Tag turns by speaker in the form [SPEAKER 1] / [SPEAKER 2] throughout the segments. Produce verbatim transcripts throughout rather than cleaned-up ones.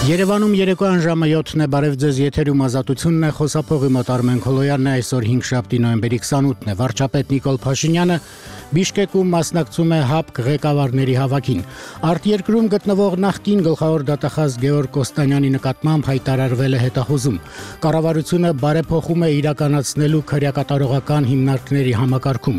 [SPEAKER 1] Երևանում երեկոյան ժամը յոթն է, բարև ձեզ, եթերում Ազատությունն է, խոսափողի մոտ Արմեն Քոլոյանն է, այսօր հինգշաբթի նոյեմբերի քսանութն է, վարչապետ Նիկոլ Փաշինյանը Բիշկեկում մասնակցում է ՀԱՊԿ ղեկավարների հավաքին։ Արտերկրում գտնվող նախկին գլխավոր դատախազ Գեորգ Կոստանյանի նկատմամբ հայտարարվել է հետախուզում։ Կառավարությունը բարեփոխում է իրականացնելու քրեակատարողական հիմնարկների համակարգում։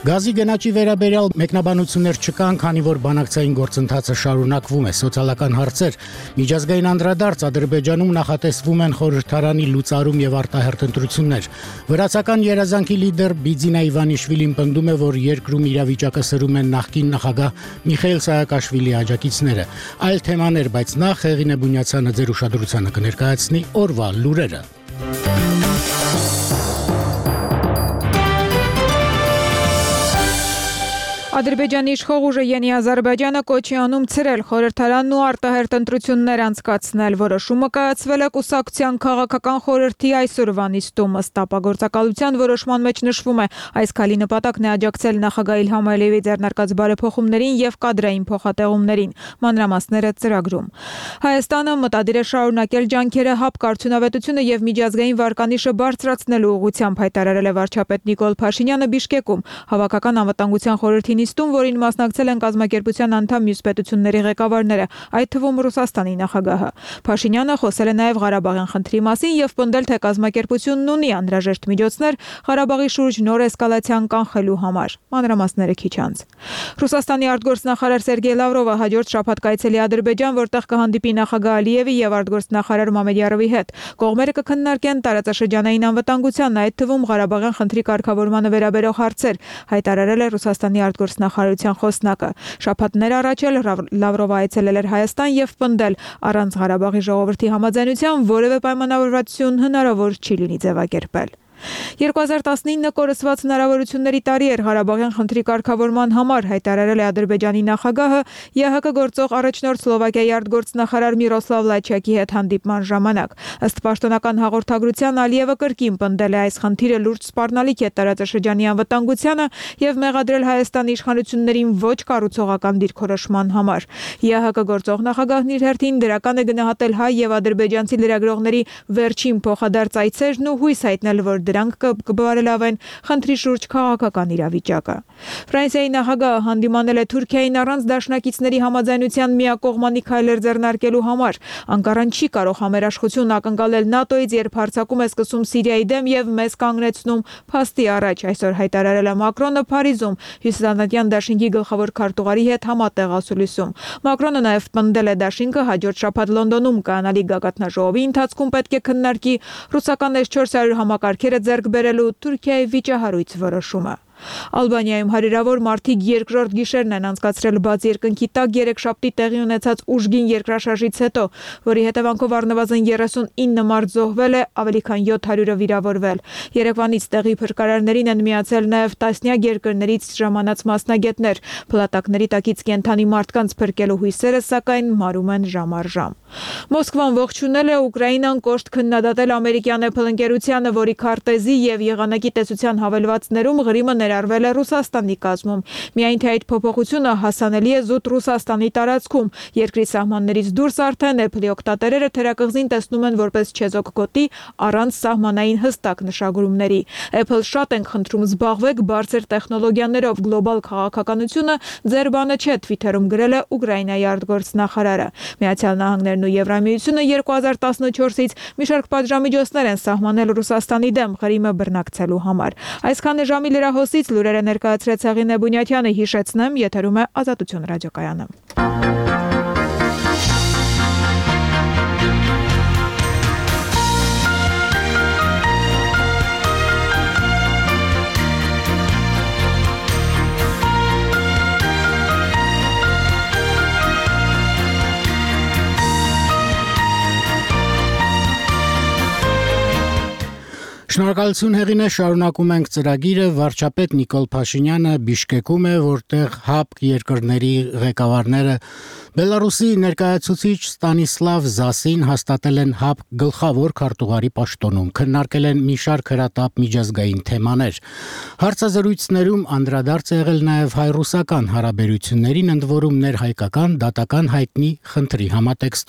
[SPEAKER 1] Գազի գնաճի վերաբերյալ մեկնաբանություններ չկան, քանի որ բանակցային գործընթացը շարունակվում է։ Սոցիալական հարցեր, միջազգային անդրադարձ, Ադրբեջանում նախատեսվում են խորհրդարանի լուծարում եւ արտահերթ ընտրություններ։ Վրացական երազանքի լիդեր Բիձինա Իվանիշվիլին պնդում է, որ երկրում իրավիճակը սրում են նախկին նախագահ Միխայիլ Սահակաշվիլիի աջակիցները։ Այլ թեմաներ, բայց նախ Հեղինե Բունյացյանը ձեր ուշադրությանը կներկայացնի օրվա լուրերը։
[SPEAKER 2] Ադրբեջանի իշխող ուժը Յենի Ադրբեջանը կոչի անում ցրել խորհրդարանն ու արտահերթ ընտրություններ անցկացնել, որոշումը կայացվել է կուսակցության քաղաքական խորհրդի այսօրվա նիստում, ըստ ապագործակալության որոշման մեջ նշվում է, այս քայլի նպատակն է աջակցել նախագահ Իլհամ Ալիևի ձեռնարկած բարեփոխումներին եւ կադրային փոխհատեղումներին, մանրամասները ծրագրում։ Հայաստանը մտադիր է շարունակել ջանքերը ՀԱՊԿ արդյունավետությունը եւ միջազգային վարկանիշը բարձրացնելու ուղղությամբ, հայտարարել է վարչապետ Նիկոլ Փաշինյանը Բիշկեկում, հավաքական անվտանգության խորհրդի նիստում, որին մասնակցել են կազմակերպության անդամ մյուս պետությունների ղեկավարները, այդ թվում Ռուսաստանի նախագահը։ Փաշինյանը խոսել է նաև Ղարաբաղյան խնդրի մասին եւ պնդել, թե կազմակերպությունն ունի անհրաժեշտ միջոցներ Ղարաբաղի շուրջ նոր էսկալացիան կանխելու համար։ Մանրամասները քիչ անց։ Ռուսաստանի արտգործնախարար Սերգեյ Լավրովը հաջորդ շաբաթ կայցելի Ադրբեջան, որտեղ կհանդիպի նախագահ Ալիևի եւ արտգործնախարար Մամեդյարովի հետ։ Կողմերը կքննարկեն տարածաշրջանային անվտանգության, այդ թվում Ղարաբաղյան խնդրի կարգավորմանը վերաբերող հարցեր, հայտարարել է Ռուսաստանի արտգործնախարարության խոսնակը։ Շաբաթներ առաջ էլ Լավրովը այցելել էր Հայաստան եւ պնդել, առանց Ղարաբաղի ժողովրդի համաձայնության որևէ պայմանավորվածություն հնարավոր չի լինի ձևակերպել։ երկու հազար տասնինը կորսված հնարավորությունների տարի էր Ղարաբաղյան խնդրի կարգավորման համար, հայտարարել է Ադրբեջանի նախագահը ԵՀԿ գործող առաջնորդ Սլովակիայի արտգործնախարար Միրոսլավ Լաչյակի հետ հանդիպման ժամանակ։ Ըստ պաշտոնական հաղորդագրության Ալիևը կրկին պնդել է, այս խնդիրը լուրջ սպառնալիք է տարածաշրջանի անվտանգությանը եւ մեղադրել Հայաստանի իշխանություններին ոչ կառուցողական դիրքորոշման համար։ ԵՀԿ գործող նախագահն իր հերթին դրական է գնահատել հայ եւ ադրբեջանցի լրագրողների վերջին փոխադարձ այցերն ու հույս հայտնել, որ դրանք կբարելավեն խնդրի շուրջ քաղաքական իրավիճակը։ Ֆրանսիայի նախագահը հանդիմանել է Թուրքիային առանց դաշնակիցների համաձայնության միակողմանի քայլեր ձեռնարկելու համար։ Անկարան չի կարող համերաշխություն ակնկալել ՆԱՏՕ-ից, երբ հարձակում է սկսում Սիրիայի դեմ եւ մեզ կանգնեցնում փաստի առաջ, այսօր հայտարարել է Մակրոնը Փարիզում հյուսիսատլանտյան դաշինքի գլխավոր քարտուղարի հետ համատեղ ասուլիսում։ Մակրոնը նաև պնդել է, դաշինքը հաջորդ շաբաթ Լոնդոնում կայանալի գագաթնաժողովի ընթացքում պետք է քննարկի ռուսական էս չորս հարյուր համակարգերը ձեռք բերելու Թուրքիայի վիճահարույց որոշումը։ Ալբանիայում հարյուրավոր մարդիկ երկրորդ գիշերն են անցկացրել բաց երկնքի տակ երեքշաբթի տեղի ունեցած ուժգին երկրաշարժից հետո, որի հետևանքով առնվազն երեսունինը մարդ զոհվել է, ավելի քան յոթ հարյուրը վիրավորվել։ Երևանից տեղի փրկարարներին են միացել նաև տասնյակ երկրներից ժամանած մասնագետներ։ Փլատակների տակից կենդանի մարդկանց փրկելու հույսերը, սակայն մարում են ժամ առ ժամ։ Մոսկվան ողջունել է Ուկրաինան կոշտ քննադատել ամերիկյան Apple ընկերությանը, որի քարտեզի եւ եղանակի տեսության հավելվածներում Ղրիմը ներառվել է Ռուսաստանի կազմում։ Միայն թե այդ փոփոխությունը հասանելի է զուտ Ռուսաստանի տարածքում։ Երկրի սահմաններից դուրս արդեն Apple-ի օգտատերերը թերակղզին տեսնում են որպես չեզոք գոտի առանց սահմանային հստակ նշագրումների։ Apple շատ ենք խնդրում, զբաղվեք բարձր տեխնոլոգիաներով, գլոբալ քաղաքականությունը ձեր բանը չէ, Twitter-ում գրել է Ուկրաինայի արտգործնախարարը։ Միացյալ Նահանգներն ու Եվրամիությունը երկու հազար տասնչորսից մի շարք պատժամիջոցներ են սահմանել Ռուսաստանի դեմ Ղրիմը բռնակցելու համար։ Այսքան է ժամի լրահոսից լուրերը ներկայացրեց Հեղինե Բունյացյանը, հիշեցնեմ, եթերում է Ազատություն ռադիոկայանը։
[SPEAKER 1] Շնորհակալություն Հեղինե, շարունակում ենք ծրագիրը։ Վարչապետ Նիկոլ Փաշինյանը Բիշկեկում է, որտեղ ՀԱՊԿ երկրների ղեկավարները Բելարուսի ներկայացուցիչ Ստանիսլավ Զասին հաստատել են ՀԱՊԿ գլխավոր քարտուղարի պաշտոնում, քննարկել են մի շարք հրատապ միջազգային թեմաներ։ Հարցազրույցներում անդրադարձ է եղել նաև հայ-ռուսական հարաբերություններին, ընդ որում ներհայկական դատական հայտնի խնդրի համատեքստում։